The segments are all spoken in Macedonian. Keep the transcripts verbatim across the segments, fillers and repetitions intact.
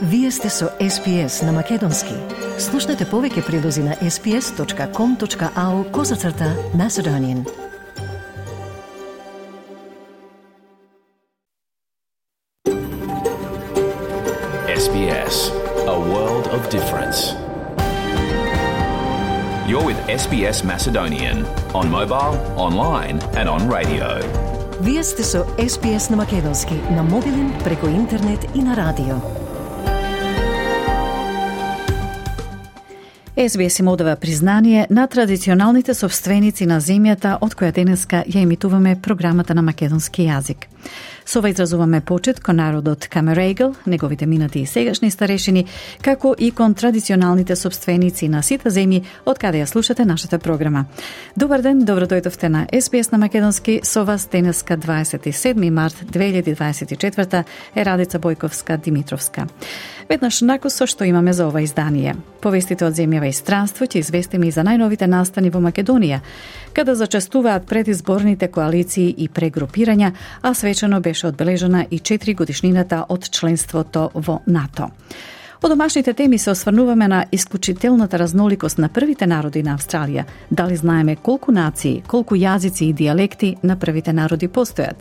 Вие сте со Ес Би Ес на Македонски. Слушнете повеќе прилози на ес би ес точка ком точка ау козацрта Macedonian. Ес Би Ес, a world of difference. You're with Ес Би Ес Macedonian on mobile, online and on radio. Вие сте со Ес Би Ес на Македонски, на мобилен, преку интернет и на радио. Ес Би Ес им одава признание на традиционалните собственици на земјата од која денеска ја емитуваме програмата на македонски јазик. Со ова изразуваме почет кон народот Камерегл, неговите минати и сегашни старешини, како и кон традиционалните собственици на сите земји од каде ја слушате нашата програма. Добар ден, добро дојдовте на Ес Би Ес на Македонски. Со вас денеска дваесет и седми март две илјади дваесет и четврта е Радица Бојковска Димитровска. Веднаш накус со што имаме за ова издание. Повестите од земјава и странство ќе известиме и за најновите настани во Македонија, каде зачестуваат предизборните коалиции и прегрупирања, а свечено беше одбележена и четири годишнината од членството во НАТО. Од домашните теми се осврнуваме на исклучителната разноликост на првите народи на Австралија. Дали знаеме колку нации, колку јазици и дијалекти на првите народи постојат?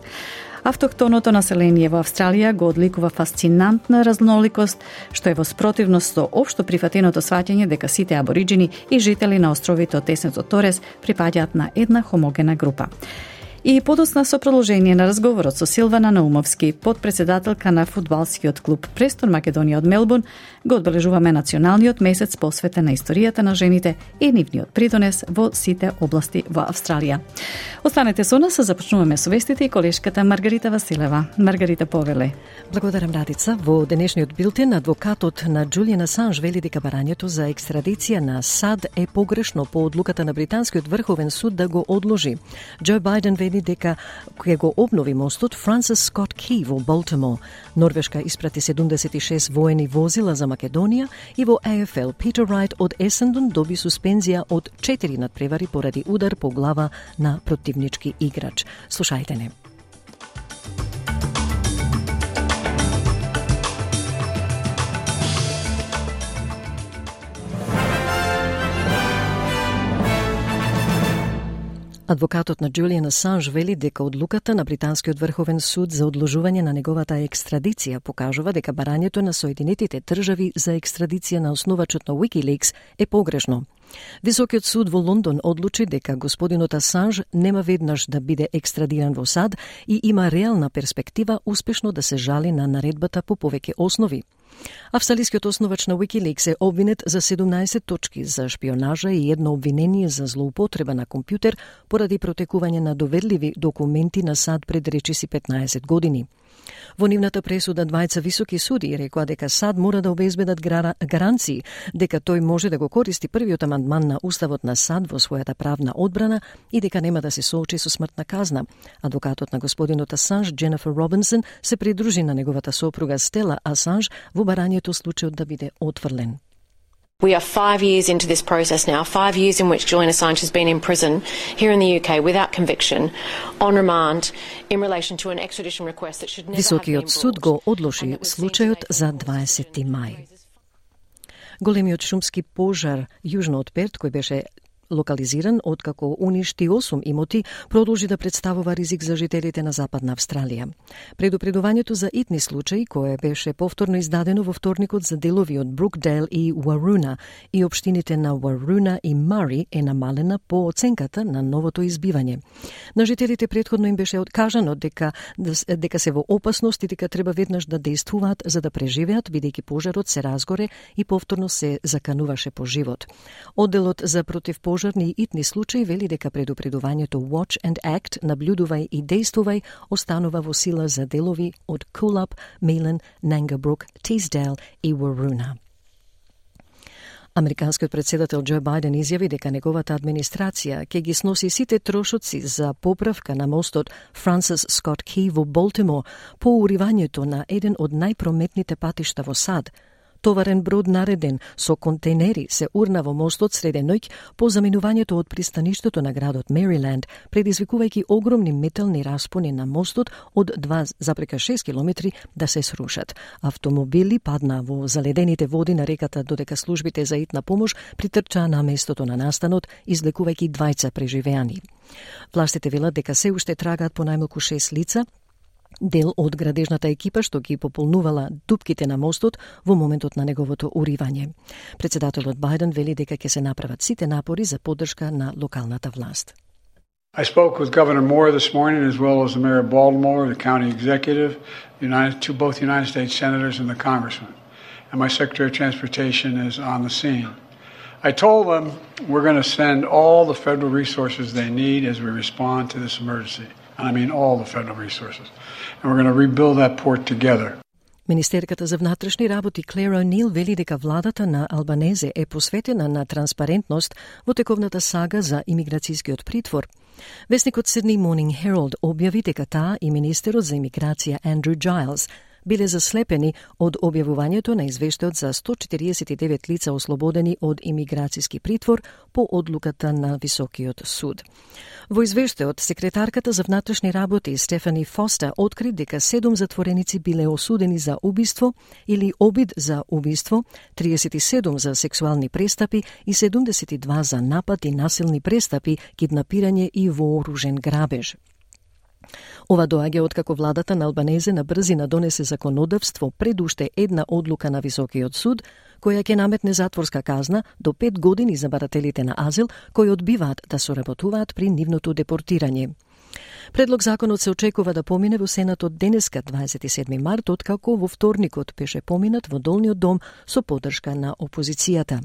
Автохтоното население во Австралија го одликува фасцинантна разноликост, што е во спротивност со општо прифатеното сваќање дека сите абориџини и жители на островите од тесното Торес припаѓаат на една хомогена група. И подосна со продолжение на разговорот со Силвана Наумовски, подпредседателка на фудбалскиот клуб Престон Македонија од Мелбурн, го одбележуваме националниот месец посветен на историјата на жените и нивниот придонес во сите области во Австралија. Останете со нас, започнуваме со вестите и колешката Маргарита Василева. Маргарита, повеле. Благодарам, Радица. Во денешниот билтен адвокатот на Џулијан Асанж вели дека барањето за екстрадиција на САД е погрешно по одлуката на британскиот врховен суд да го одложи. Џо Бајден вели дека ќе го обнови мостот Франсис Скот Ки во Болтимор. Норвешка испрати седумдесет и шест воени возила за Македонија и во Е Еф Ел Питер Рајт од Есендон доби суспензија од четири надпревари поради удар по глава на противнички играч. Слушајте не. Адвокатот на Џулијан Асанж вели дека одлуката на британскиот врховен суд за одложување на неговата екстрадиција покажува дека барањето на Соединетите држави за екстрадиција на основачот на Wikileaks е погрешно. Високиот суд во Лондон одлучи дека господинот Асанж нема веднаш да биде екстрадиран во САД и има реална перспектива успешно да се жали на наредбата по повеќе основи. Австралискиот основач на Wikileaks е обвинет за седумнаесет точки за шпионажа и едно обвинение за злоупотреба на компјутер поради протекување на доверливи документи на САД пред речиси петнаесет години. Во нивната пресуда двајца високи суди рекоа дека САД мора да обезбедат гаранции дека тој може да го користи првиот амандман на Уставот на САД во својата правна одбрана и дека нема да се соочи со смртна казна. Адвокатот на господинот Асанж, Дженефер Робинсон, се придружи на неговата сопруга Стела Асанж во барањето случајот да биде отфрлен. We are five years into this process now, five years in which Julian Assange has been in prison here in the U K without conviction, on remand, in relation to an extradition request that should never have been brought. Високиот суд го одложи случајот за дваесети мај. Големиот шумски пожар јужно од Перт, кој беше локализиран откако уништи осум имоти, продолжи да представува ризик за жителите на Западна Австралија. Предупредувањето за итни случаи, кое беше повторно издадено во вторникот за делови од Брукдейл и Уаруна и општините на Уаруна и Мари, е намалена по оценката на новото избивање. На жителите претходно им беше откажано дека, дека се во опасност и дека треба веднаш да действуваат за да преживеат, бидејќи пожарот се разгоре и повторно се закануваше по живот. Одделот за против пожарни и итни случаи вели дека предупредувањето Watch and Act, наблюдувај и действувај, останува во сила за делови од Coolab, Мейлен, Нангабрук, Тисдейл и Уаруна. Американскиот председател Џо Бајден изјави дека неговата администрација ќе ги сноси сите трошоци за поправка на мостот Франсис Скот Ки во Болтимор по уривањето на еден од најпрометните патишта во САД. товарен брод нареден со контейнери се урна во мостот среде ноќ по заминувањето од пристаништето на градот Мериленд, предизвикувајќи огромни метални распони на мостот од два запрека шест километри да се срушат. Автомобили падна во заледените води на реката додека службите за итна помош притрчаа на местото на настанот, излекувајќи двајца преживеани. Властите велат дека се уште трагаат по најмалку шест лица, дел од градежната екипа што ги пополнувала дупките на мостот во моментот на неговото уривање. Председателот Бајден вели дека ќе се направат сите напори за поддршка на локалната власт. I spoke with Governor Moore this morning, as well as the Mayor of Baltimore, the county executive, United, to both United States senators and the congressman. And my Secretary of Transportation is on the scene. I told them we're going to send all the federal resources they need as we respond to this emergency. And I mean all the federal resources. And we're going to rebuild that port together. Министерката за внатрешни работи Клер О'Нил вели дека владата на Албанезе е посветена на транспарентност во тековната сага за имиграцијскиот притвор. Весникот Sydney Morning Herald објави дека таа и министерот за имиграција Андрю Джайлс биле заслепени од објавувањето на извештајот за сто четириесет и девет лица ослободени од имиграцијски притвор по одлуката на Високиот суд. Во извештајот, секретарката за внатрешни работи Стефани Фостер откри дека седум затвореници биле осудени за убиство или обид за убиство, триесет и седум за сексуални престапи и седумдесет и два за напад и насилни престапи, киднапирање и вооружен грабеж. Ова доаѓа откако владата на Албанезе на брзина донесе законодавство пред уште една одлука на Високиот суд, која ќе наметне затворска казна до пет години за барателите на азил кои одбиваат да соработуваат при нивното депортирање. Предлог законот се очекува да помине во Сенатот денеска, дваесет и седми март, откако во вторникот беше поминат во Долниот дом со поддршка на опозицијата.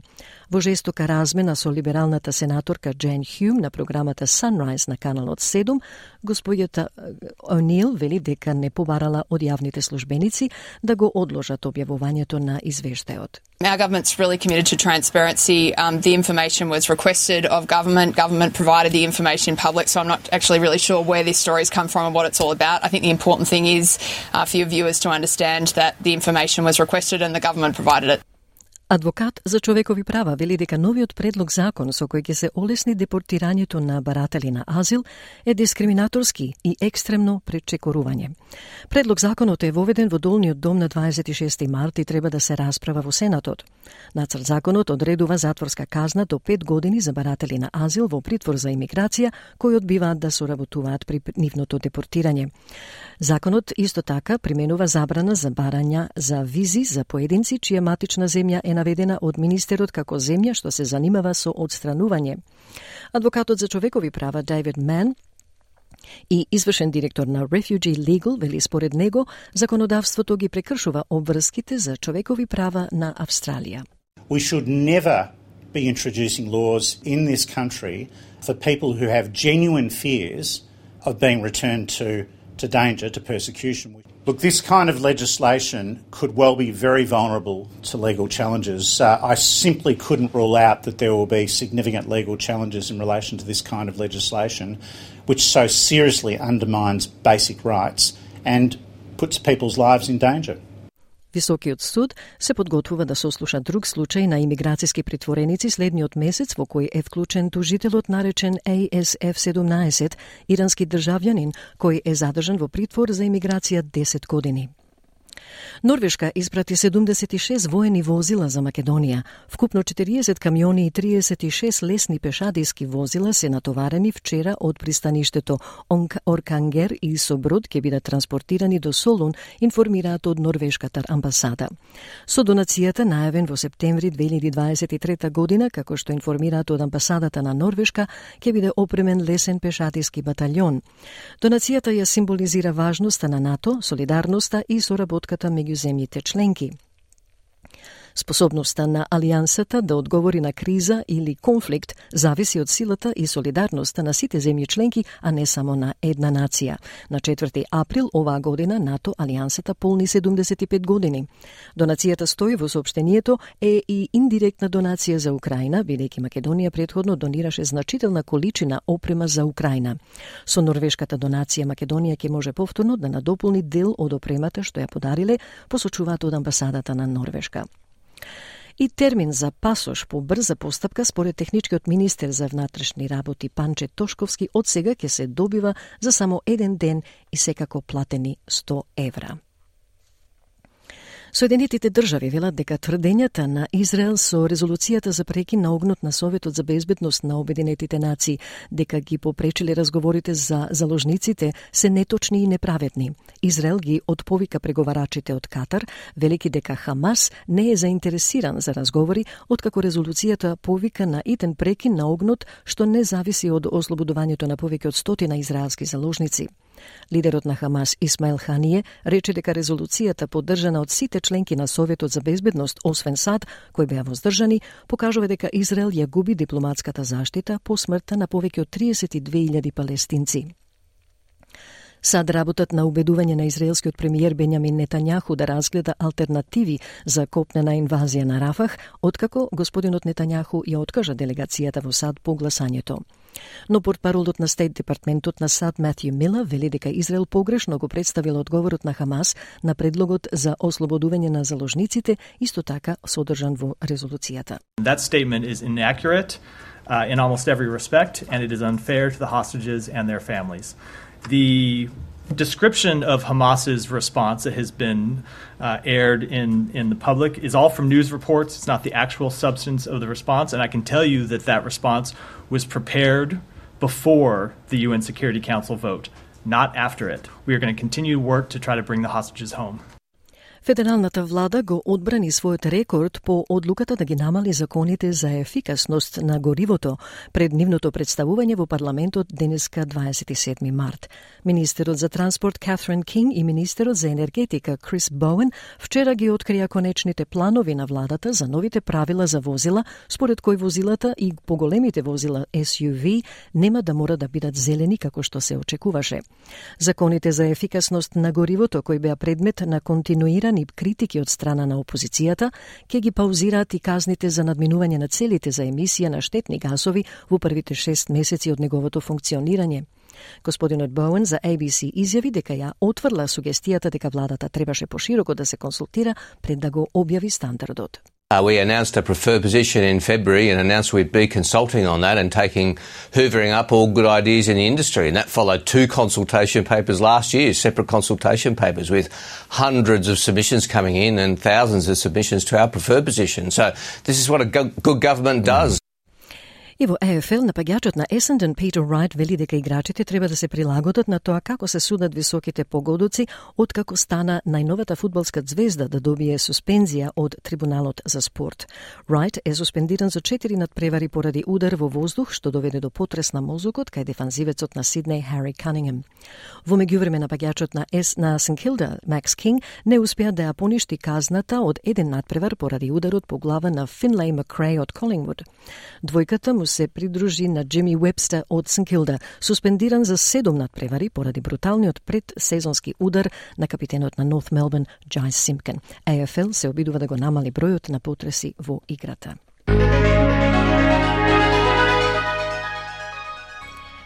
Во жестока размена со либералната сенаторка Джейн Хјум на програмата Sunrise на каналот седум, господјата О'Нил вели дека не побарала од јавните службеници да го одложат објавувањето на извештајот. Our government's really committed to transparency. Um, the information was requested of government. Government provided the information public, so I'm not actually really sure where this story's come from and what it's all about. I think the important thing is uh, for your viewers to understand that the information was requested and the government provided it. Адвокат за човекови права вели дека новиот предлог закон со кој ќе се олесни депортирањето на баратели на азил е дискриминаторски и екстремно пречекорување. Предлог законот е воведен во Долниот дом на дваесет и шести март и треба да се расправа во Сенатот. Нацрт законот одредува затворска казна до пет години за баратели на азил во притвор за имиграција кои одбиваат да соработуваат при нивното депортирање. Законот исто така применува забрана за барања за визи за поединци чија матична земја е наведена од министерот како земја што се занимава со одстранување. Адвокатот за човекови права Дейвид Ман и извршен директор на Refugee Legal вели според него законодавството ги прекршува обврските за човекови права на Австралија. We should never be introducing laws in this country for people who have genuine fears of being returned to to danger, to persecution. Look, this kind of legislation could well be very vulnerable to legal challenges. Uh, I simply couldn't rule out that there will be significant legal challenges in relation to this kind of legislation, which so seriously undermines basic rights and puts people's lives in danger. Високиот суд се подготвува да сослуша друг случај на имиграцијски притвореници следниот месец во кој е вклучен тужителот наречен А С Ф седумнаесет, ирански државјанин кој е задржан во притвор за имиграција десет години. Норвешка испрати седумдесет и шест воени возила за Македонија. Вкупно четириесет камиони и триесет и шест лесни пешадиски возила се натоварени вчера од пристаништето Оркангер и со брод ќе бидат транспортирани до Солун, информираат од норвешката амбасада. Со донацијата најавен во септември две илјади дваесет и трета година, како што информираат од амбасадата на Норвешка, ќе биде опремен лесен пешадиски баталјон. Донацијата ја символизира важноста на НАТО, солидарноста и соработката меѓу земјите членки. Способноста на Алијансата да одговори на криза или конфликт зависи од силата и солидарноста на сите земји членки, а не само на една нација. На четврти април оваа година НАТО Алијансата полни седумдесет и пет години. Донацијата стои во соопштението е и индиректна донација за Украина, бидејќи Македонија претходно донираше значителна количина опрема за Украина. Со норвешката донација Македонија ќе може повторно да надополни дел од опремата што ја подариле, посочуваат од амбасадата на Норвешка. И термин за пасош по брза постапка според техничкиот министер за внатрешни работи Панче Тошковски од сега ќе се добива за само еден ден и секако платени сто евра. Соединетите држави велат дека тврдењата на Израел со резолуцијата за прекин на огнот на Советот за безбедност на Обединетите нации дека ги попречиле разговорите за заложниците се неточни и неправедни. Израел ги отповика преговарачите од Катар, велики дека Хамас не е заинтересиран за разговори, откако резолуцијата повика на итен прекин на огнот што не зависи од ослободувањето на повеќе од стотина израелски заложници. Лидерот на Хамас Исмаил Хание рече дека резолуцијата поддржана од сите членки на Советот за безбедност, освен САД, кои беа воздржани, покажува дека Израел ја губи дипломатската заштита по смртта на повеќе од триесет и две илјади палестинци. САД работат на убедување на израелскиот премиер Бенјамин Нетањаху да разгледа алтернативи за копнена инвазија на Рафах, откако господинот Нетањаху ја откажа делегацијата во САД по гласањето. Но портпаролот на Стейт департментот на САД Матју Мила вели дека Израел погрешно го представил одговорот на Хамас на предлогот за ослободување на заложниците, исто така содржан во резолуцијата. That statement is inaccurate uh, in almost every respect and it is unfair to the hostages and their families. The description of Hamas's response that has been uh, aired in, in the public is all from news reports. It's not the actual substance of the response, and I can tell you that that response was prepared before the U N Security Council vote, not after it. We are going to continue to work to try to bring the hostages home. Федералната влада го одбрани својот рекорд по одлуката да ги намали законите за ефикасност на горивото пред нивното представување во парламентот денеска дваесет и седми март. Министерот за транспорт Катрин Кинг и министерот за енергетика Крис Боуен вчера ги открија конечните планови на владата за новите правила за возила, според кои возилата и поголемите возила Ес Ю Ви нема да мора да бидат зелени како што се очекуваше. Законите за ефикасност на горивото кои беа предмет на континуиран и критики од страна на опозицијата, ќе ги паузираат и казните за надминување на целите за емисија на штетни гасови во првите шест месеци од неговото функционирање. Господинот Боуен за А Би Си изјави дека ја отврла сугестијата дека владата требаше пошироко да се консултира пред да го објави стандардот. Uh, we announced a preferred position in February and announced we'd be consulting on that and taking, hoovering up all good ideas in the industry. And that followed two consultation papers last year, separate consultation papers with hundreds of submissions coming in and thousands of submissions to our preferred position. So this is what a go- good government does. И во Е Еф Ел напаѓачот на Есенден Питер Рајт вели дека играчите треба да се прилагодат на тоа како се судат високите погодоци откако стана најновата фудбалска звезда да добие суспензија од Трибуналот за спорт. Рајт е суспендиран за четири надпревари поради удар во воздух што доведе до потрес на мозокот кај дефанзивецот на Сиднеј Хари Канингем. Во меѓувреме напаѓачот на Ес на Сент Килда Макс Кинг не успеа да ја поништи казната од еден надпревар поради ударот по глава на Финлеј Макреј од Колингвуд. Двојката му се придружи на Джими Уебстер од Сент Килда, суспендиран за седум надпревари поради бруталниот предсезонски удар на капитенот на Норт Мелбурн Джайс Симпкен. Е Еф Ел се обидува да го намали бројот на потреси во играта.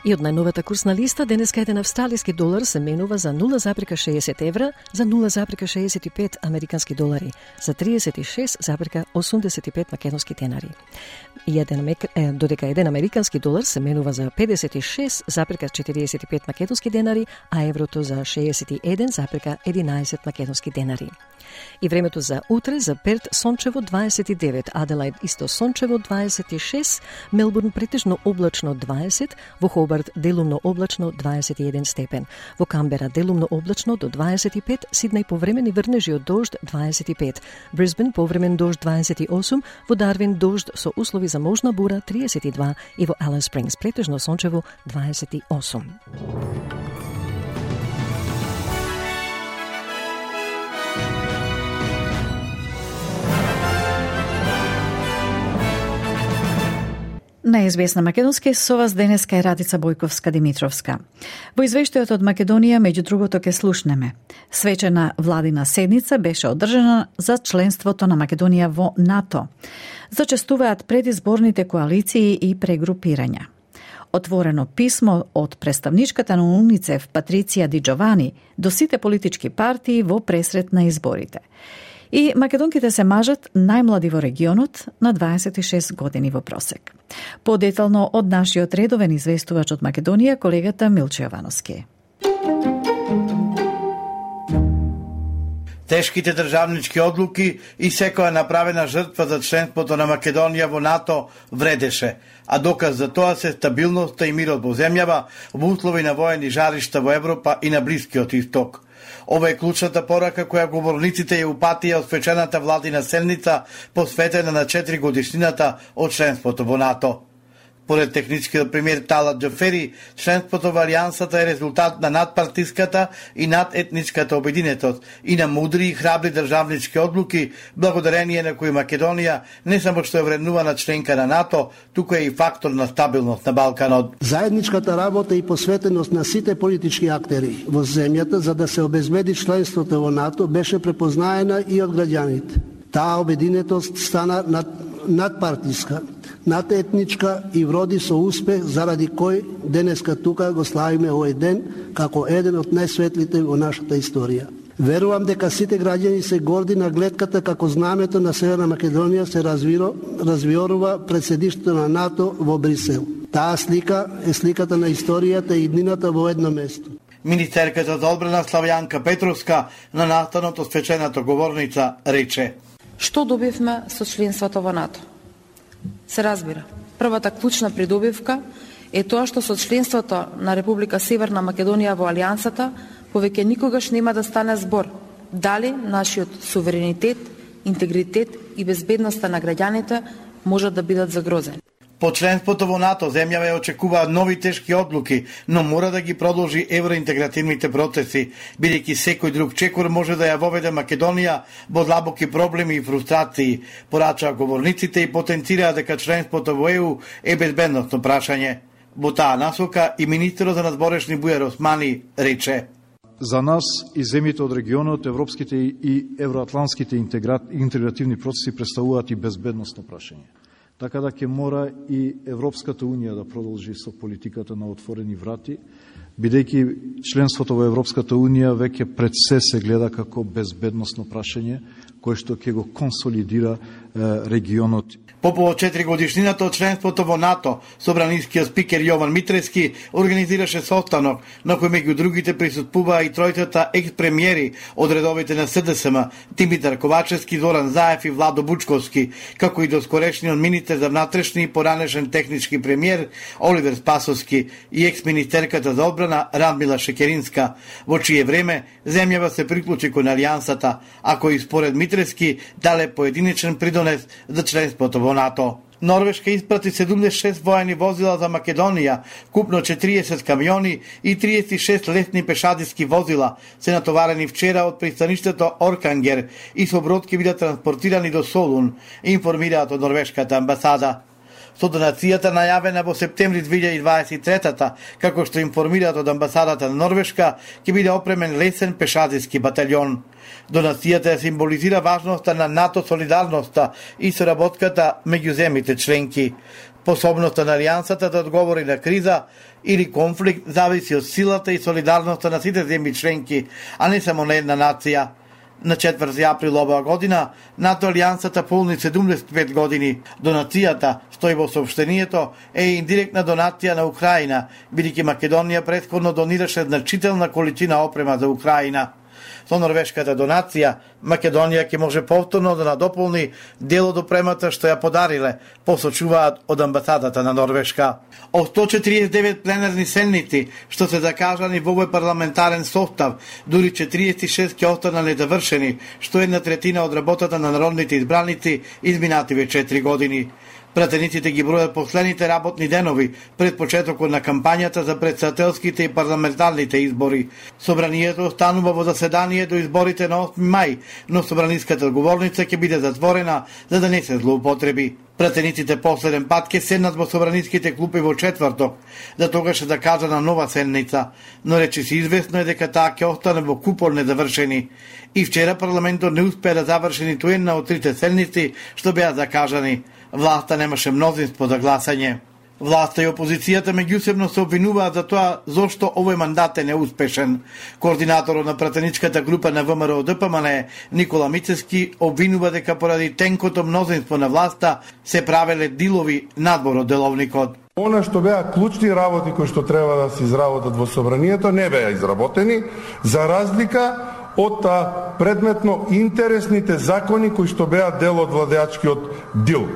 И од најновата курсна листа, денеска еден австралиски долар се менува за нула зарез шеесет евра, за нула зарез шеесет и пет американски долари, за триесет и шест зарез осумдесет и пет македонски денари. И еден, е, додека еден американски долар се менува за педесет и шест зарез четириесет и пет македонски денари, а еврото за шеесет и еден зарез единаесет македонски денари. И времето за утре за Перт сончево дваесет и девет, Аделаид исто сончево дваесет и шест, Мелбурн претежно облачно дваесет, во Хобарт делумно облачно дваесет и еден степен, во Камбера делумно облачно до дваесет и пет, Сиднеј повремени врнежи од дожд дваесет и пет, Брисбен повремен дожд дваесет и осум, во Дарвин дожд со услови за можна бура триесет и два и во Алис Спрингс претежно сончево дваесет и осум. На Ес Би Ес на македонски со вас денеска е Радица Бојковска-Димитровска. Во извештајот од Македонија, меѓу другото, ке слушнеме. Свечена владина седница беше одржана за членството на Македонија во НАТО. Зачестуваат предизборните коалиции и прегрупирања. Отворено писмо од представничката на УНИЦЕФ Патриција Ди Джовани до сите политички партии во пресрет на изборите. И македонките се мажат најмлади во регионот на дваесет и шест години во просек. Подетално од нашиот редовен известувач од Македонија, колегата Милче Јовановски. Тешките државнички одлуки и секоја направена жртва за членството на Македонија во НАТО вредеше, а доказ за тоа се стабилноста и мирот во земјава во услови на воени жаришта во Европа и на Блискиот Исток. Ова е клучната порака која говорниците ја упатија од свечената владина седница посветена на четири годишнината од членството во НАТО. Поред техничкиот премиер Талат Џафери, членството во Алијансата е резултат на надпартиската и надетничката обединетост и на мудри и храбри државнички одлуки, благодарение на кои Македонија не само што е вреднувана членка на НАТО, туку е и фактор на стабилност на Балканот. Заедничката работа и посветеност на сите политички актери во земјата за да се обезбеди членството во НАТО беше препознаена и од граѓаните. Таа обединетост стана над, надпартиска, надетничка и вроди со успех, заради кој денеска тука го славиме овој ден како еден од најсветлите во нашата историја. Верувам дека сите граѓани се горди на гледката како знамето на Северна Македонија се развиро, развиорува пред седиштето на НАТО во Брисел. Таа слика е сликата на историјата и иднината во едно место. Министерката за одбрана Славјанка Петровска на настанот од свечената говорница рече: Што добивме со членството во НАТО? Се разбира, првата клучна придобивка е тоа што со членството на Република Северна Македонија во Алијансата повеќе никогаш нема да стане збор дали нашиот суверенитет, интегритет и безбедноста на граѓаните можат да бидат загрозени. По членството во НАТО земјава ја очекуваат нови тешки одлуки, но мора да ги продолжи евроинтегративните процеси, бидејќи секој друг чекор може да ја воведе Македонија во длабоки проблеми и фрустрации, порачаа говорниците и потенцираа дека членството во Е У е безбедносно прашање. Во таа насока и министерот за надборешни Бујар Османи рече: За нас и земјите од регионот, европските и евроатлантските интегративни процеси представуваат и безбедносно прашање. Така да ќе мора и Европската Унија да продолжи со политиката на отворени врати, бидејќи членството во Европската Унија веќе пред се се гледа како безбедносно прашање, кое што ќе го консолидира е, регионот. По повод четири годишнината од членството во НАТО, собранискиот спикер Јован Митрески организираше состанок на кој меѓу другите присуствуваа и тројцата екс-премиери од редовите на С Д С М, Димитар Ковачевски, Зоран Заев и Владо Бучковски, како и доскорешниот министер за внатрешни и поранешен технички премиер Оливер Спасовски и екс-министерката за одбрана Радмила Шекеринска, во чие време земјава се приклучи кон Алијансата, а кој според Митрески дале поединечен придонес за членството во НАТО. Норвешка испрати седумдесет и шест воени возила за Македонија, купно четириесет камиони и триесет и шест лесни пешадиски возила се натоварени вчера од пристаништето Оркангер и со брод ќе бидат транспортирани до Солун, информираат од норвешката амбасада. Со донацијата најавена во септември две илјади дваесет и трета, како што информираат од амбасадата на Норвешка, ќе биде опремен лесен пешадиски батальон. Донацијата ја символизира важноста на НАТО солидарноста и соработката меѓу земјите членки. Способноста на Алијансата да одговори на криза или конфликт зависи од силата и солидарноста на сите земји членки, а не само на една нација. На четврти април оваа година НАТО Алијансата полни седумдесет и пет години. Донацијата, стои во соопштението, е индиректна донација на Украина, бидејќи Македонија претходно донираше значителна количина опрема за Украина. Со норвешката донација, Македонија ќе може повторно да надополни дел од опремата што ја подариле, посочуваат од амбасадата на Норвешка. Од сто четириесет и девет пленарни седници што се закажани во овој парламентарен состав, дури четириесет и шест ќе останале недовршени, што е една третина од работата на народните избраници изминативе четири години. Пратениците ги бројат последните работни денови пред почетокот на кампањата за претседателските и парламентарните избори. Собранието останува во заседание до изборите на осми мај, но собраниската говорница ќе биде затворена за да не се злоупотреби. Пратениците последен пат ќе седнат во собраниските клупи во четврток, за тогаш е закажана нова седница, но речи се известно е дека таа ќе остане во купол недовршени. И вчера парламентот не успеа да заврши ниту една од трите седници што беа закажани. Власта немаше мнозинство за гласање. Власта и опозицијата меѓусебно се обвинуваат за тоа зошто овој мандат е неуспешен. Координаторот на пратеничката група на ВМРО Д П М Н Никола Мицевски обвинува дека поради тенкото мнозинство на власта се правеле дилови надвор од деловникот. Она што беа клучни работи кои што треба да се изработат во собранието не беа изработени, за разлика од предметно интересните закони кои што беа дел од владеачкиот дил.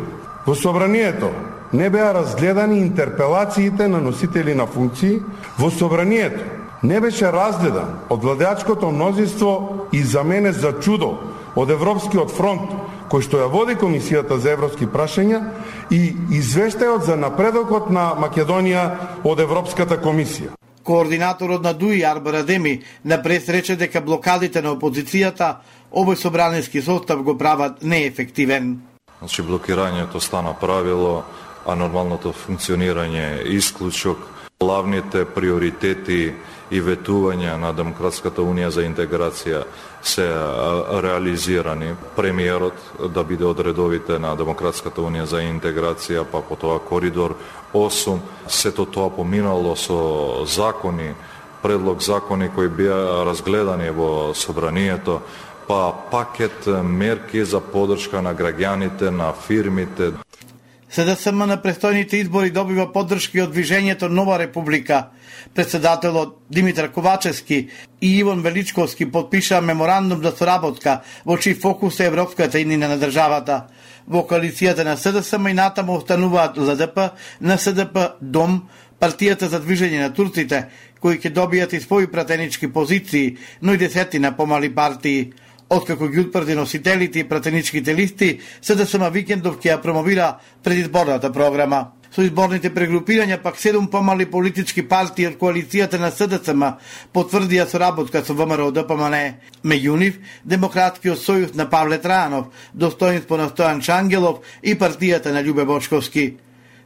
Во собранието не беа разгледани интерпелациите на носители на функции. Во собранието не беше разгледан од владеачкото мнозинство и за мене за чудо од Европскиот фронт, кој што ја води Комисијата за европски прашања, и извештајот за напредокот на Македонија од Европската комисија. Координаторот на ДУИ Арбар Адеми напред рече дека блокадите на опозицијата овој собранински состав го прават неефективен. Значи блокирањето стана правило, а нормалното функционирање е исклучок. Главните приоритети и ветувања на Демократската унија за интеграција се реализирани. Премиерот да биде од редовите на Демократската унија за интеграција, па потоа коридор осум, сето тоа поминало со закони, предлог закони кои беа разгледани во собранието, па пакет мерки за поддршка на граѓаните, на фирмите. С Д С М на престојните избори добива поддршки од Движењето Нова Република. Председателот Димитар Ковачевски и Иван Величковски подпишаа меморандум за соработка во чиј фокус е европската иднина на државата. Во коалицијата на С Д С М и натаму остануваат Л Д П, Н С Д П, Дом, Партијата за движење на турците, кои ќе добијат и своји пратенички позиции, но и десетина помали партии. Откако ги утврди носителите и пратеничките листи, С Д С М Викендов ќе ја промовира предизборната програма. Со изборните прегрупирања пак седум помали политички партии од коалицијата на С Д С М потврдија соработка со ВМРО Д П М Н. Меѓу нив Демократскиот сојуз на Павле Трајанов, Достоинство на Стојан Чангелов и партијата на Љубе Бошковски.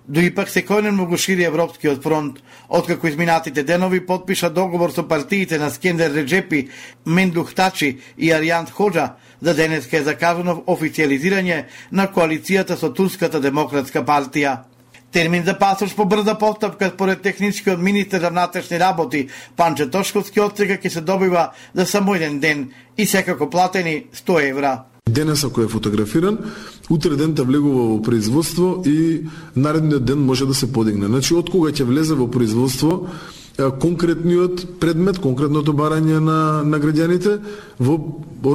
Дуи пак секојдневно го шири Европскиот фронт, откако изминатите денови подпиша договор со партиите на Скендер Реджепи, Мендух Тачи и Аријант Ходжа, за денеска е закажано официализирање на коалицијата со Турската демократска партија. Термин за пасош по брза постапка според техничкиот министер за внатрешни работи Панче Тошковски од сега ќе се добива за само еден ден и секако платени сто евра. Денес ако е фотографиран, утре ден те влегува во производство и наредниот ден може да се подигне. Значи, од кога ќе влезе во производство конкретниот предмет, конкретното барање на, на граѓаните, во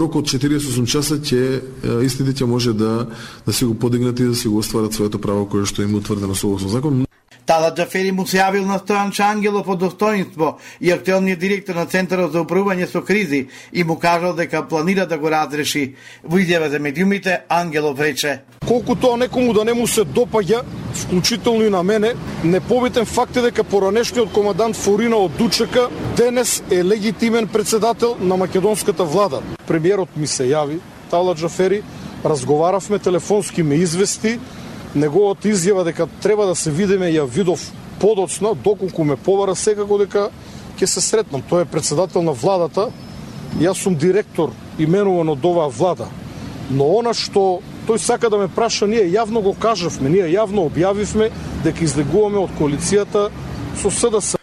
рок од четириесет и осум часа ќе истите ќе може да, да се го подигнат и да се го остварат своето право кое што им утврдено согласно закон. Талат Џафери му се јавил на Стојан Чангелов од Достоинство и актуелниот директор на Центарот за управување со кризи и му кажал дека планира да го разреши. Во изјава за медиумите Ангелов рече: колку тоа некому да не му се допаѓа, вклучително и на мене, непобитен факт е дека поранешниот командант Форина од Дучека денес е легитимен председател на македонската влада. Премиерот ми се јави, Талат Џафери, разговаравме телефонски, ме извести, неговата изјава дека треба да се видиме ја видов подоцна, доколку ме побара секако дека ќе се сретнам. Тој е председател на владата, јас сум директор именуван од оваа влада. Но она што тој сака да ме праша, ние јавно го кажавме, ние јавно објавивме дека излегуваме од коалицијата со С Д С.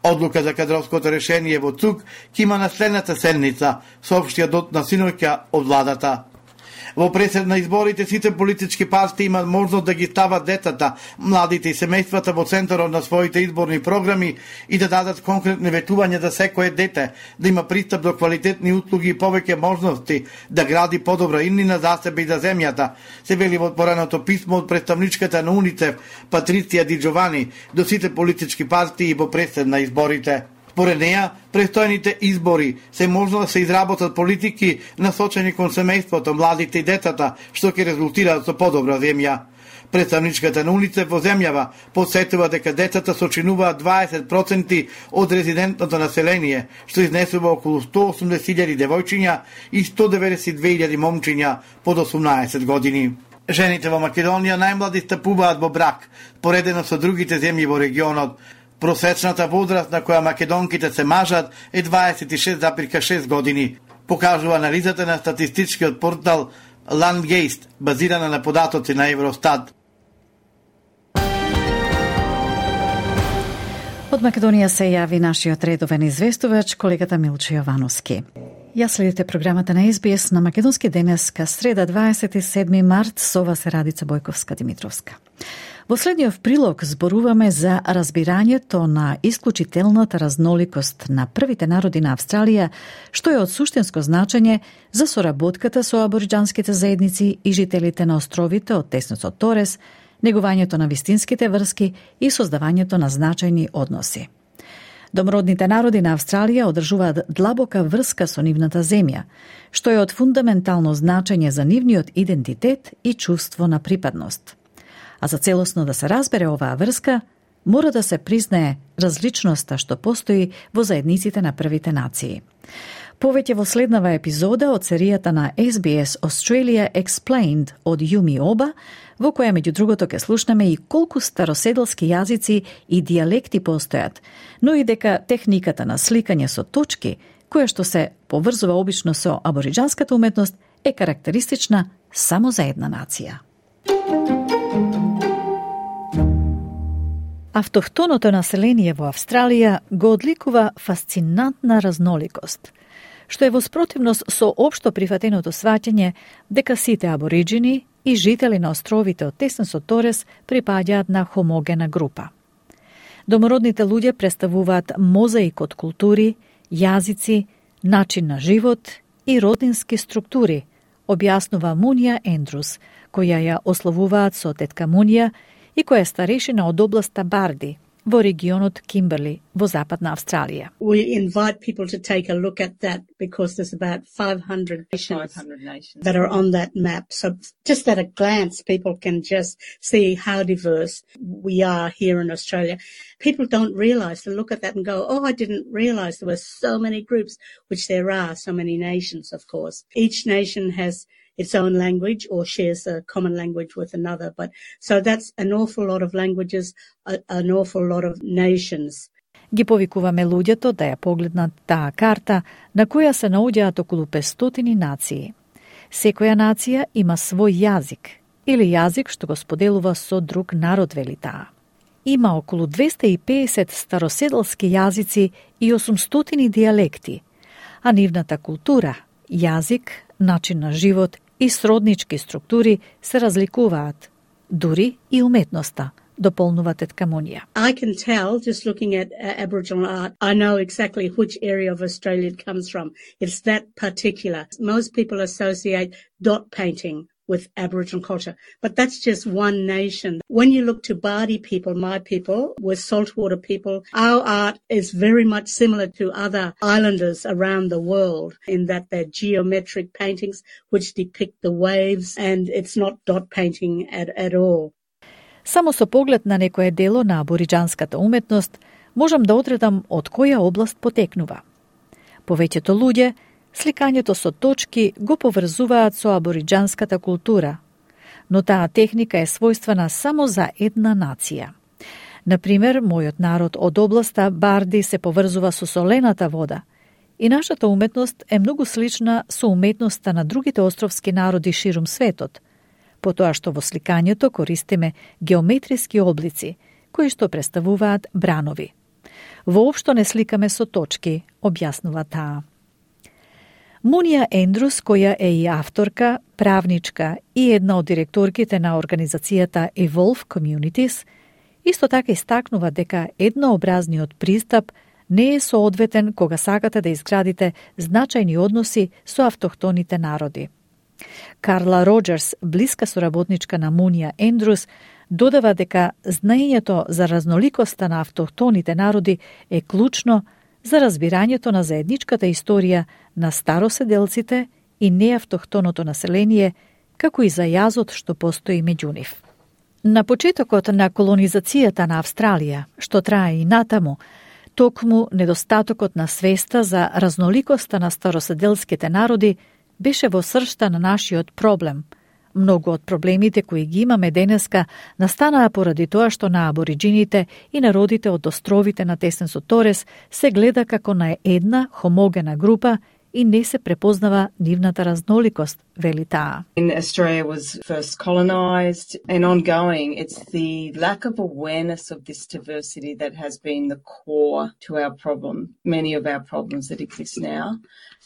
Одлука за кадровското решение во ЦУК ќе има на следната седница, соопштија дот на синоќа од владата. Во пресед на изборите сите политички партии имаат можност да ги стават децата, младите и семејствата во центарот на своите изборни програми и да дадат конкретни ветувања за секое дете, да има пристап до квалитетни услуги и повеќе можности да гради подобра иднина за себе и за земјата, се вели во отвореното писмо од представничката на УНИЦЕФ Патриција Ди Джовани до сите политички партии во пресед на изборите. Според неја, престојните избори се можно да се изработат политики насочени кон семејството, младите и децата, што ќе резултираат со подобра земја. Представничката на УНИЦЕФ во земјава подсетува дека децата сочинуваат дваесет проценти од резидентното население, што изнесува околу сто и осумдесет илјади девојчиња и сто и деветдесет и две илјади момчиња под осумнаесет години. Жените во Македонија најмлади стапуваат во брак, поредено со другите земји во регионот. Просечната возраст на која македонките се мажат е дваесет и шест запирка шест години, покажува анализата на статистичкиот портал Landgeist, базирана на податоци на Евростат. Од Македонија се јаvi нашиот редовен известувач, колегата Милчо Јовановски. Ја следите програмата на Ес Би Ес на Македонски денеска, среда дваесет и седми март, со вас е Радица Бојковска-Димитровска. Во следниот прилог зборуваме за разбирањето на исклучителната разноликост на првите народи на Австралија, што е од суштинско значење за соработката со абориџанските заедници и жителите на островите од теснецот Торес, негувањето на вистинските врски и создавањето на значајни односи. Домородните народи на Австралија одржуваат длабока врска со нивната земја, што е од фундаментално значење за нивниот идентитет и чувство на припадност. А за целосно да се разбере оваа врска, мора да се признае различноста што постои во заедниците на првите нации. Повеќе во следнава епизода од серијата на Ес Би Ес Australia Explained од Јуми Оба, во која меѓу другото ќе слушнеме и колку староседелски јазици и дијалекти постојат, но и дека техниката на сликање со точки, која што се поврзува обично со абориџанската уметност, е карактеристична само за една нација. Автохтоното население во Австралија го одликува фасцинантна разноликост, што е во спротивност со општо прифатеното сваќање дека сите абориџини и жители на островите од теснецот Торес припаѓаат на хомогена група. Домородните луѓе представуваат мозаик од култури, јазици, начин на живот и родински структури, објаснува Мунија Ендрус, која ја ословуваат со тетка Мунија и која е старешина од областа Барди, во регионот Кимберли, во Западна Австралија. We invite people to take a look at that because there's about five hundred nations, five hundred nations that are on that map. So just at a glance, people can just see how diverse we are here in Australia. People don't realise, they look at that and go, oh, I didn't realise there were so many groups, which there are, so many nations, of course. Each nation has its own language or shares a common language with another. But so that's an awful lot of languages, a, an awful lot of nations. Ги повикуваме луѓето да ја погледнат таа карта на која се наоѓаат околу петстотини нации. Секоја нација има свој јазик или јазик што го споделува со друг народ, вели таа. Има околу двесте и педесет староседелски јазици и осумстотини дијалекти, а нивната култура, јазик, начин на живот и сроднички структури се разликуваат, дури и уметноста, дополнува тетка Мунија. I can tell, just looking at uh, Aboriginal art, I know exactly which area of Australia it comes from. It's that particular. Most people associate dot painting with Aboriginal culture, but that's just one nation. When you look to Bardi people, my people, with saltwater people, our art is very much similar to other islanders around the world in that they're geometric paintings which depict the waves, and it's not dot painting at, at all. Само со поглед на некое дело на абориџанската уметност можам да одредам од која област потекнува. Повеќето луѓе сликањето со точки го поврзуваат со абориџанската култура, но таа техника е својствена само за една нација. Например, мојот народ од областа Барди се поврзува со солената вода и нашата уметност е многу слична со уметноста на другите островски народи ширум светот, потоа што во сликањето користиме геометриски облици, кои што представуваат бранови. Воопшто не сликаме со точки, објаснува таа. Мунија Ендрус, која е и авторка, правничка и една од директорките на организацијата Evolve Communities, исто така истакнува дека еднообразниот пристап не е соодветен кога сакате да изградите значајни односи со автохтоните народи. Карла Роџерс, блиска соработничка на Мунија Ендрус, додава дека знаењето за разноликоста на автохтоните народи е клучно за разбирањето на заедничката историја на староседелците и неавтохтоното население, како и за јазот што постои меѓу нив. На почетокот на колонизацијата на Австралија, што трае и натаму, токму недостатокот на свеста за разноликоста на староседелските народи беше во сршта на нашиот проблем. Многу од проблемите кои ги имаме денеска настанаа поради тоа што на абориџините и народите од островите на теснецот Торес се гледа како на една хомогена група и не се препознава нивната разноликост, вели таа. In Australia was first colonized and ongoing, it's the lack of awareness of this diversity that has been the core to our problem, many of our problems that exist now.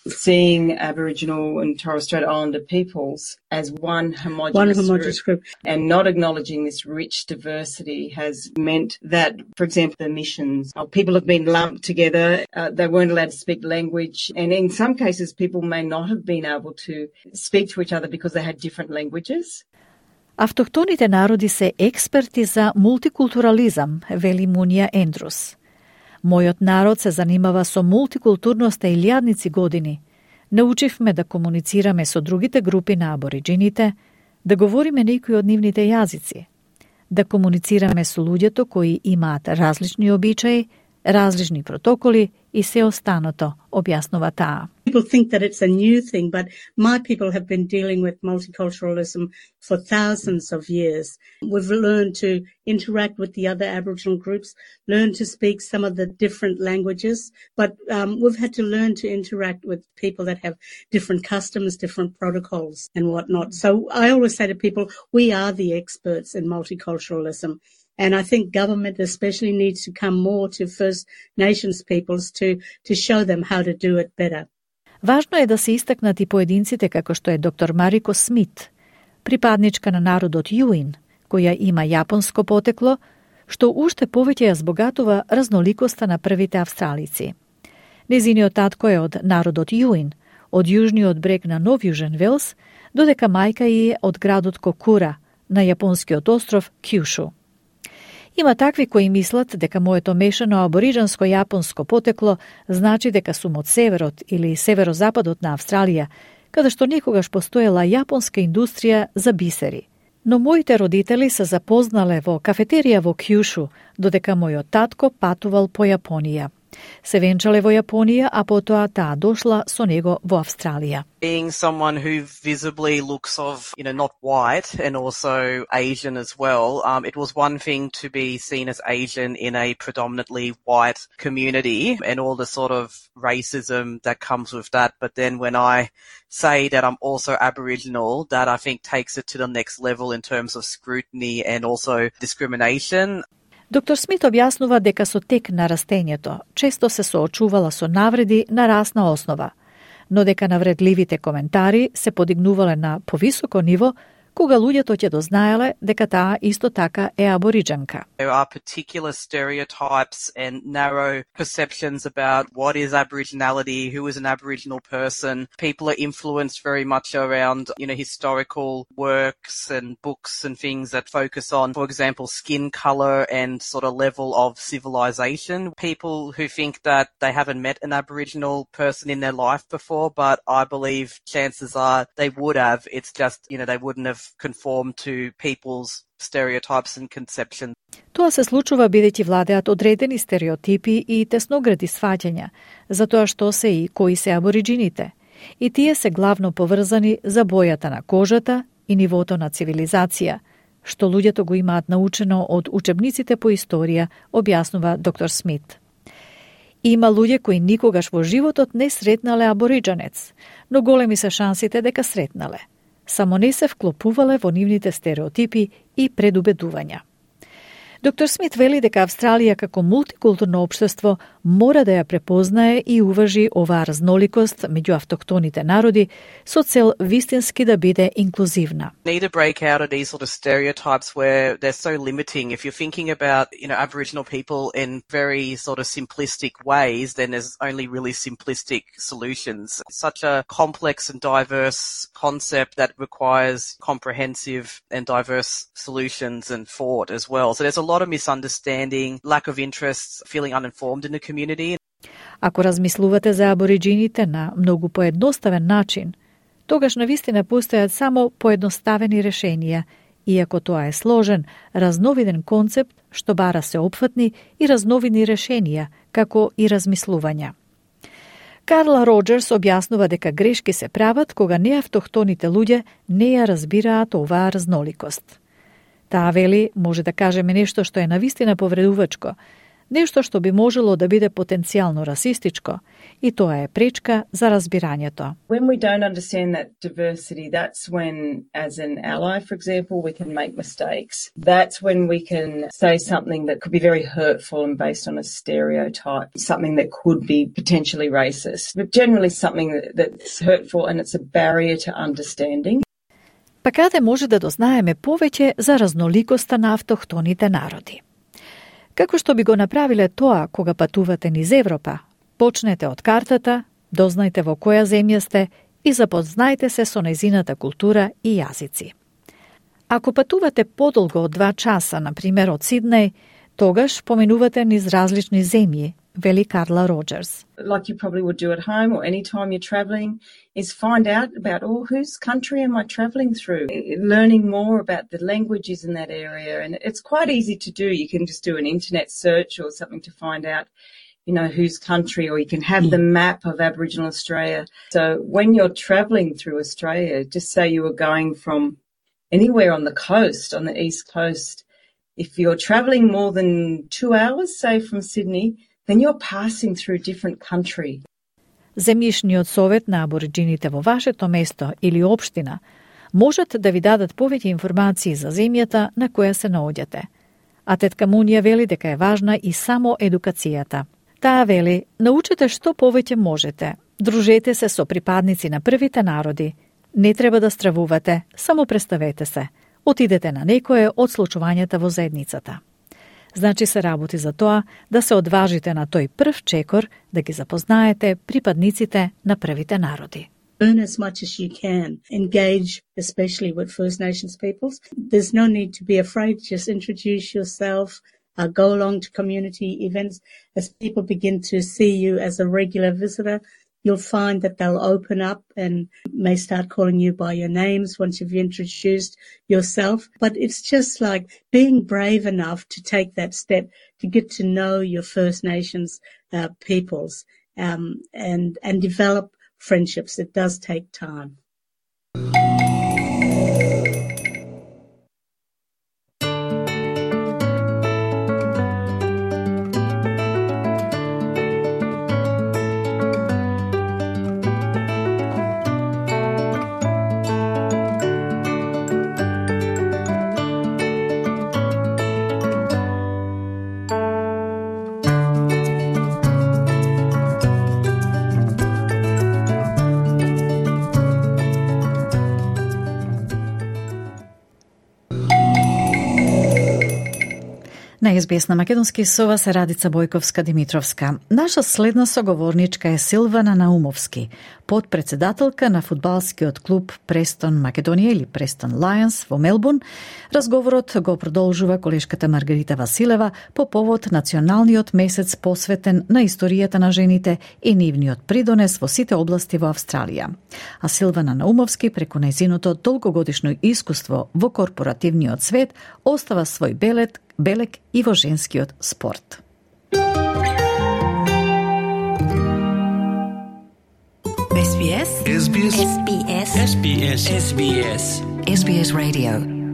Seeing Aboriginal and Torres Strait Islander peoples as one homogenous, one homogenous group. group and not acknowledging this rich diversity has meant that, for example, the missions, uh, people have been lumped together, uh, they weren't allowed to speak language, and in some cases people may not have been able to speak to each other because they had different languages. Автохтоните народи се експерти за мултикултурализам, вели Мунија Ендрус. Мојот народ се занимава со мултикултурноста илјадници години. Научивме да комуницираме со другите групи на абориджините, да говориме некои од нивните јазици, да комуницираме со луѓето кои имаат различни обичаи, различни протоколи и се останато, објаснува таа. People think that it's a new thing, but my people have been dealing with multiculturalism for thousands of years. We've learned to interact with the other Aboriginal groups, learn to speak some of the different languages, but um, we've had to learn to interact with people that have different customs, different protocols and whatnot. So I always say to people, we are the experts in multiculturalism. And I think government especially needs to come more to First Nations peoples to, to show them how to do it better. Важно е да се истакнат и поединците како што е доктор Марико Смит, припадничка на народот Јуин, која има јапонско потекло, што уште повеќе ја збогатува разноликоста на првите австралици. Незиниот татко е од народот Јуин, од јужниот брег на Нов Јужен Велс, додека мајка е од градот Кокура, на јапонскиот остров Кјушу. Има такви кои мислат дека моето мешано абориџанско-јапонско потекло значи дека сум од северот или северозападот на Австралија, каде што некогаш постоела јапонска индустрија за бисери. Но моите родители се запознале во кафетерија во Кјушу, додека мојот татко патувал по Јапонија. Се венчале во Јапонија, а потоа таа дошла со него во Австралија. Being someone who visibly looks of, you know, not white and also Asian as well, um, it was one thing to be seen as Asian in a predominantly white community and all the sort of racism that comes with that. But then when I say that I'm also Aboriginal, that I think takes it to the next level in terms of scrutiny and also discrimination. Доктор Смит објаснува дека со тек на растењето често се соочувала со навреди на расна основа, но дека навредливите коментари се подигнувале на повисоко ниво кога луѓето ќе дознаеле дека таа исто така е абориџанка. There are particular stereotypes and narrow perceptions about what is Aboriginality, who is an Aboriginal person. People are influenced very much around, you know, historical works and books and things that focus on, for example, skin color and sort of level of civilization. People who think that they haven't met an Aboriginal person in their life before, but I believe chances are they would have. It's just, you know, they wouldn't have conform to people's stereotypes and conceptions. Тоа се случува бидејќи владеат одредени стереотипи и тесногради сваќања за тоа што се и кои се абориџините. И тие се главно поврзани за бојата на кожата и нивото на цивилизација, што луѓето го имаат научено од учебниците по историја, објаснува доктор Смит. Има луѓе кои никогаш во животот не сретнале абориџанец, но големи се шансите дека сретнале. Само не се вклопувале во нивните стереотипи и предубедувања. Доктор Смит вели дека Австралија како мултикултурно општество мора да ја препознае и уважи оваа разноликост меѓу автохтоните народи со цел вистински да биде инклузивна. Need to break out of these sort of stereotypes where they're so limiting. If you're thinking about, you know, Aboriginal people in very sort of simplistic ways, then there's only really simplistic solutions. It's such a complex and diverse concept that requires comprehensive and diverse solutions and thought as well. So there's a lot of misunderstanding, lack of interest, feeling uninformed in the community. Ако размислувате за абориџините на многу поедноставен начин, тогаш навистина постојат само поедноставени решенија, иако тоа е сложен, разновиден концепт што бара се опфатни и разновидни решенија, како и размислувања. Карла Роџерс објаснува дека грешки се прават кога неавтохтоните луѓе не ја разбираат оваа разноликост. Таа вели, може да кажеме нешто што е навистина повредувачко, нешто што би можело да биде потенцијално расистичко, и тоа е пречка за разбирањето. When we don't understand that diversity, that's when, as an ally, for example, we can make mistakes. That's when we can say something that could be very hurtful and based on a stereotype, something that could be potentially racist, but generally something that, that's hurtful and it's a barrier to understanding. Па каде може да дознаеме повеќе за разноликоста на автохтоните народи? Како што би го направиле тоа кога патувате низ Европа? Почнете од картата, дознајте во која земја сте и запознајте се со нејзината култура и јазици. Ако патувате подолго од два часа, на пример од Сиднеј, тогаш поминувате низ различни земји, вели Карла Роджерс. Like you probably would do at home or any time you're travelling, is find out about, oh, whose country am I travelling through? Learning more about the languages in that area. And it's quite easy to do. You can just do an internet search or something to find out, you know, whose country, or you can have the map of Aboriginal Australia. So when you're travelling through Australia, just say you were going from anywhere on the coast, on the east coast, if you're travelling more than two hours, say from Sydney, then you're passing through a different country. Земјишниот совет на абориджините во вашето место или општина можат да ви дадат повеќе информации за земјата на која се наоѓате. А тетка Мунија вели дека е важна и само едукацијата. Таа вели, научете што повеќе можете, дружете се со припадници на првите народи, не треба да стравувате, само представете се, отидете на некое од случувањата во заедницата. Значи се работи за тоа да се одважите на тој прв чекор, да ги запознаете припадниците на првите народи. Learn as much as you can. Engage, especially with First Nations peoples. There's no need to be afraid. Just introduce yourself. Uh, go along to community events. As people begin to see you as a regular visitor, you'll find that they'll open up and may start calling you by your names once you've introduced yourself. But it's just like being brave enough to take that step to get to know your First Nations uh, peoples um, and, and develop friendships. It does take time. На ес би ес на македонски со вас е Радица Бојковска-Димитровска. Наша следна соговорничка е Силвана Наумовски, подпредседателка на фудбалскиот клуб Престон Македонија или Престон Лајонс во Мелбурн. Разговорот го продолжува колешката Маргарита Василева по повод националниот месец посветен на историјата на жените и нивниот придонес во сите области во Австралија. А Силвана Наумовски, преку нејзиното долгогодишно искуство во корпоративниот свет, остава свој белет белек и во женскиот спорт. ес би ес ес би ес ес би ес ес би ес ес би ес ес би ес Radio.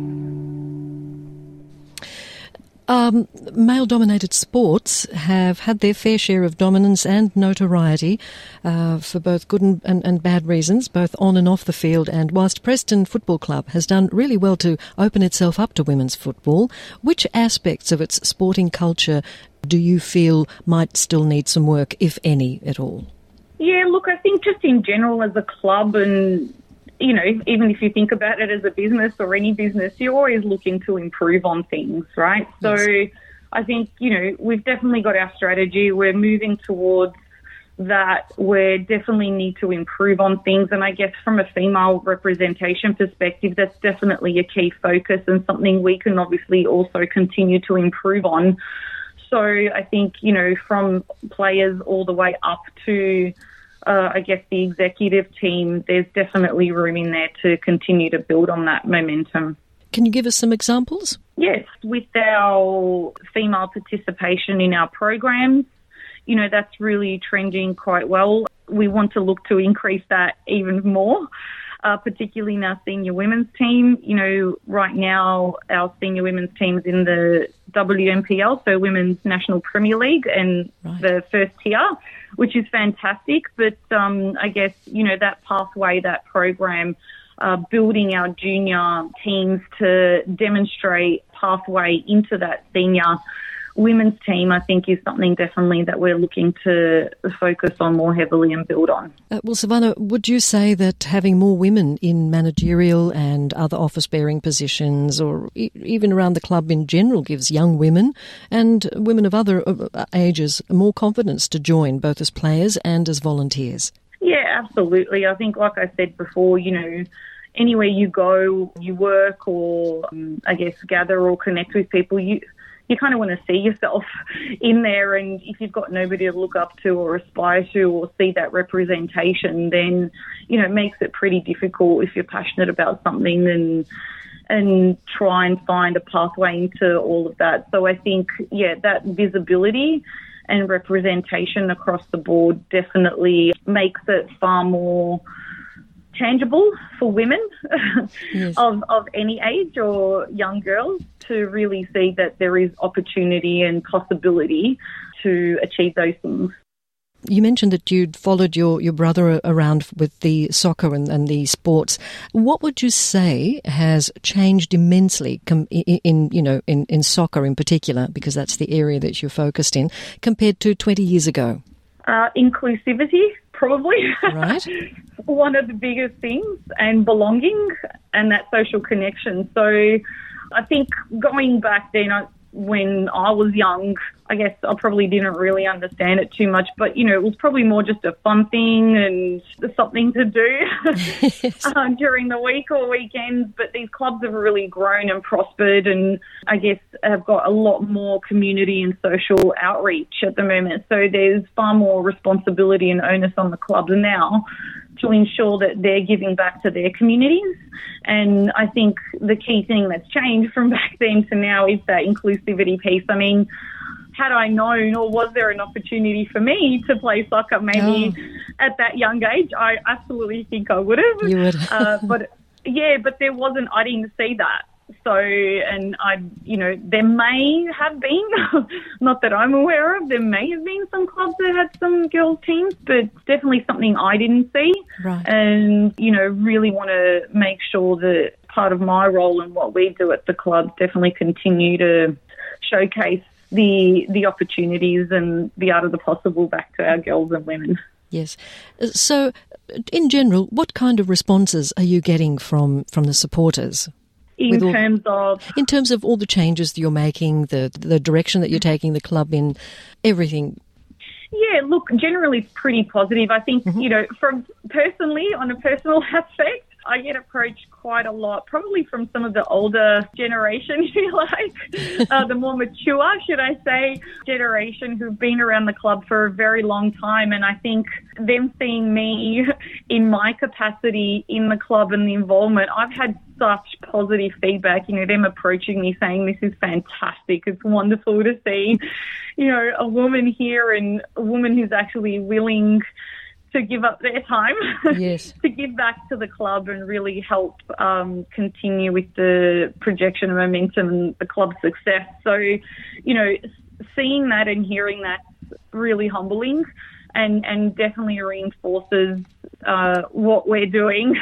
Um, male-dominated sports have had their fair share of dominance and notoriety uh, for both good and, and, and bad reasons, both on and off the field. And whilst Preston Football Club has done really well to open itself up to women's football, which aspects of its sporting culture do you feel might still need some work, if any, at all? Yeah, look, I think just in general as a club and you know, even if you think about it as a business or any business, you're always looking to improve on things, right? Yes. So I think, you know, we've definitely got our strategy. We're moving towards that. We definitely need to improve on things. And I guess from a female representation perspective, that's definitely a key focus and something we can obviously also continue to improve on. So I think, you know, from players all the way up to Uh, I guess the executive team, there's definitely room in there to continue to build on that momentum. Can you give us some examples? Yes, with our female participation in our programs, you know, that's really trending quite well. We want to look to increase that even more, uh, particularly in our senior women's team. You know, right now our senior women's team's in the W N P L, so Women's National Premier League, and right. the first tier, which is fantastic. But um, I guess, you know, that pathway, that program, uh, building our junior teams to demonstrate pathway into that senior women's team, I think, is something definitely that we're looking to focus on more heavily and build on. Uh, well, Savannah, would you say that having more women in managerial and other office-bearing positions, or e- even around the club in general, gives young women and women of other uh, ages more confidence to join, both as players and as volunteers? Yeah, absolutely. I think, like I said before, you know, anywhere you go, you work or, um, I guess, gather or connect with people, you you kind of want to see yourself in there, and if you've got nobody to look up to or aspire to or see that representation, then, you know, it makes it pretty difficult if you're passionate about something and and try and find a pathway into all of that. So I think, yeah, that visibility and representation across the board definitely makes it far more tangible for women yes. of, of any age or young girls to really see that there is opportunity and possibility to achieve those things. You mentioned that you'd followed your, your brother around with the soccer and, and the sports. What would you say has changed immensely com- in, in you know in, in soccer in particular, because that's the area that you're focused in, compared to twenty years ago? Uh, inclusivity, probably. Right. One of the biggest things, and belonging and that social connection. So I think going back then, I, when I was young, I guess I probably didn't really understand it too much, but, you know, it was probably more just a fun thing and something to do yes. uh, during the week or weekends. But these clubs have really grown and prospered, and I guess have got a lot more community and social outreach at the moment. So there's far more responsibility and onus on the clubs now to ensure that they're giving back to their communities. And I think the key thing that's changed from back then to now is that inclusivity piece. I mean, had I known, or was there an opportunity for me to play soccer maybe oh. at that young age, I absolutely think I would have. You would. uh, but yeah, but there wasn't, I didn't see that. So, and I, you know, there may have been, not that I'm aware of, there may have been some clubs that had some girls teams, but definitely something I didn't see. Right. And, you know, really want to make sure that part of my role and what we do at the club definitely continue to showcase the the opportunities and the art of the possible back to our girls and women. Yes. So, in general, what kind of responses are you getting from, from the supporters? In all, terms of... In terms of all the changes that you're making, the the direction that you're taking the club in, everything. Yeah, look, generally it's pretty positive. I think, mm-hmm. you know, from personally, on a personal aspect, I get approached quite a lot, probably from some of the older generation, if you like, uh, the more mature, should I say, generation who've been around the club for a very long time. And I think them seeing me in my capacity in the club and the involvement, I've had such positive feedback, you know, them approaching me saying this is fantastic. It's wonderful to see, you know, a woman here and a woman who's actually willing to give up their time yes. to give back to the club and really help um, continue with the projection and momentum and the club's success. So, you know, seeing that and hearing that's really humbling and, and definitely reinforces uh, what we're doing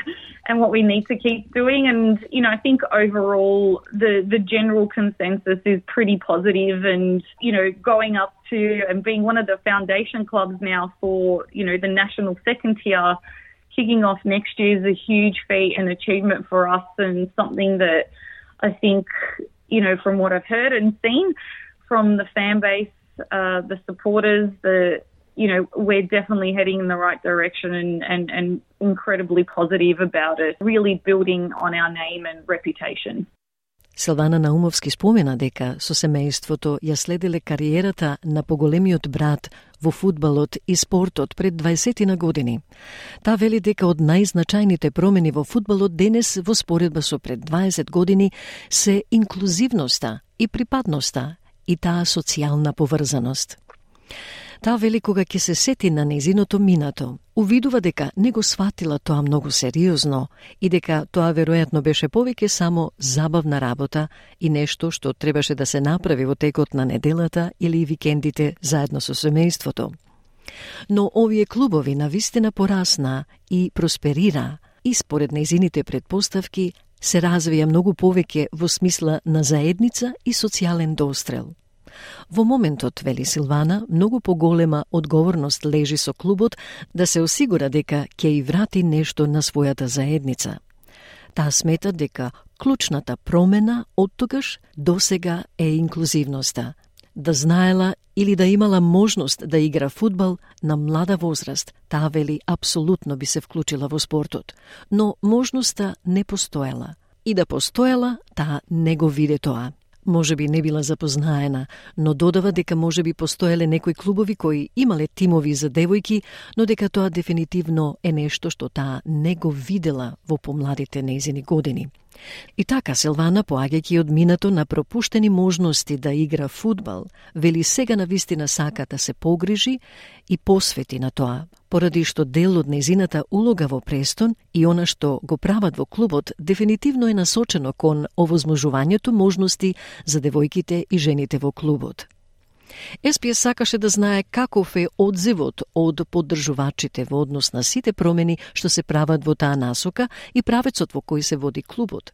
and what we need to keep doing. And, you know, I think overall the, the general consensus is pretty positive, and, you know, going up to and being one of the foundation clubs now for, you know, the national second tier, kicking off next year is a huge feat and achievement for us, and something that I think, you know, from what I've heard and seen from the fan base, uh, the supporters, the, you know, we're definitely heading in the right direction and, and, and incredibly positive about it, really building on our name and reputation. Силвана Наумовски спомена дека со семејството ја следеле кариерата на поголемиот брат во фудбалот и спортот пред дваесет години. Таа вели дека од најзначајните промени во фудбалот денес во споредба со пред дваесет години се инклузивноста и припадноста и таа социјална поврзаност. Таа вели кога ќе се сети на незиното минато, увидува дека не го сватила тоа многу сериозно и дека тоа веројатно беше повеќе само забавна работа и нешто што требаше да се направи во текот на неделата или викендите заедно со семејството. Но овие клубови навистина порасна и просперира и според незините предпоставки се развија многу повеќе во смисла на заедница и социјален дострел. Во моментот, вели Силвана, многу поголема одговорност лежи со клубот да се осигура дека ќе и врати нешто на својата заедница. Таа смета дека клучната промена од тогаш до сега е инклузивноста. Да знаела или да имала можност да игра фудбал на млада возраст, таа вели апсолутно би се вклучила во спортот, но можноста не постоела. И да постоела, таа не го виде тоа. Може би не била запознаена, но додава дека може би постоеле некои клубови кои имале тимови за девојки, но дека тоа дефинитивно е нешто што таа не го видела во помладите нејзини години. И така Силвана, поаѓајќи од минато на пропуштени можности да игра фудбал, вели сега навистина сака да се погрижи и посвети на тоа, поради што дел од нејзината улога во Престон и она што го прават во клубот дефинитивно е насочено кон овозможувањето можности за девојките и жените во клубот. Ес Пи Ес сакаше да знае каков е одзивот од поддржувачите во однос на сите промени што се прават во таа насока и правецот во кој се води клубот.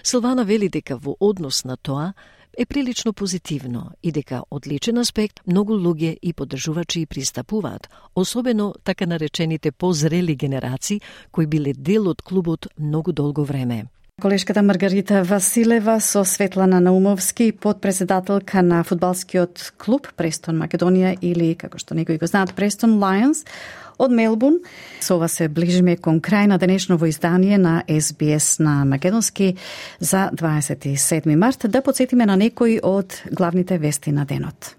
Силвана вели дека во однос на тоа е прилично позитивно и дека од личен аспект многу луѓе и поддржувачи пристапуваат, особено така наречените позрели генерации кои биле дел од клубот многу долго време. Колешката Маргарита Василева со Светлана Наумовски, подпредседателка на фудбалскиот клуб Престон Македонија или, како што некои го знаат, Престон Лајонс од Мелбурн. Со ова се ближиме кон крај на денешново издание на Ес Би Ес на македонски за дваесет и седми март. Да подсетиме на некои од главните вести на денот.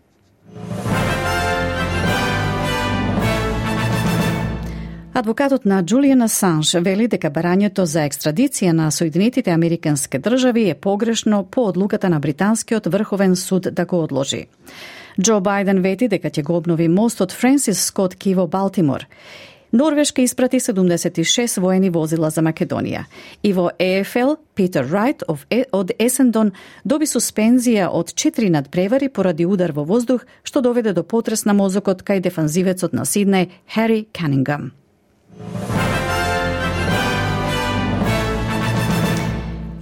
Адвокатот на Джулијан Асанж вели дека барањето за екстрадиција на Соединетите Американски држави е погрешно по одлуката на Британскиот врховен суд да го одложи. Џо Бајден вети дека ќе го обнови мостот Френсис Скот Ки во Балтимор. Норвешка испрати седумдесет и шест воени возила за Македонија. И во Е Еф Ел, Питер Рајт од Есендон доби суспензија од четири надпревари поради удар во воздух, што доведе до потрес на мозокот кај дефанзивецот на Сиднеј Хари Канингам.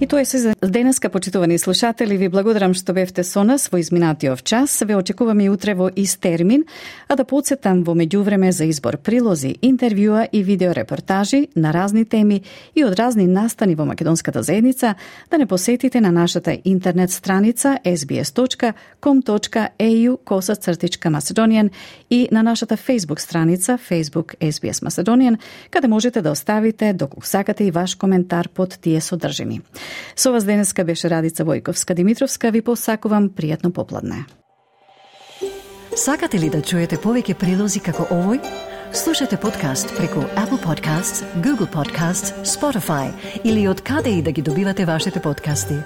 И тоа е се за денеска, почитувани слушатели. Ви благодарам што бевте со нас во изминатиот час. Ве очекувам и утре во ист термин, а да подсетам во меѓувреме за избор прилози, интервјуа и видеорепортажи на разни теми и од разни настани во македонската заедница, да не посетите на нашата интернет страница ес би ес точка ком точка е ю косацртичка Macedonian и на нашата Facebook страница Facebook Ес Би Ес Macedonian, каде можете да оставите доколку сакате и ваш коментар под тие содржини. Со вас денеска беше Радица Војковска-Димитровска. Ви посакувам пријатно попладне. Сакате ли да чуете повеќе прилози како овој? Слушате подкаст преку Apple Podcasts, Google Podcasts, Spotify или од каде и да ги добивате вашите подкасти.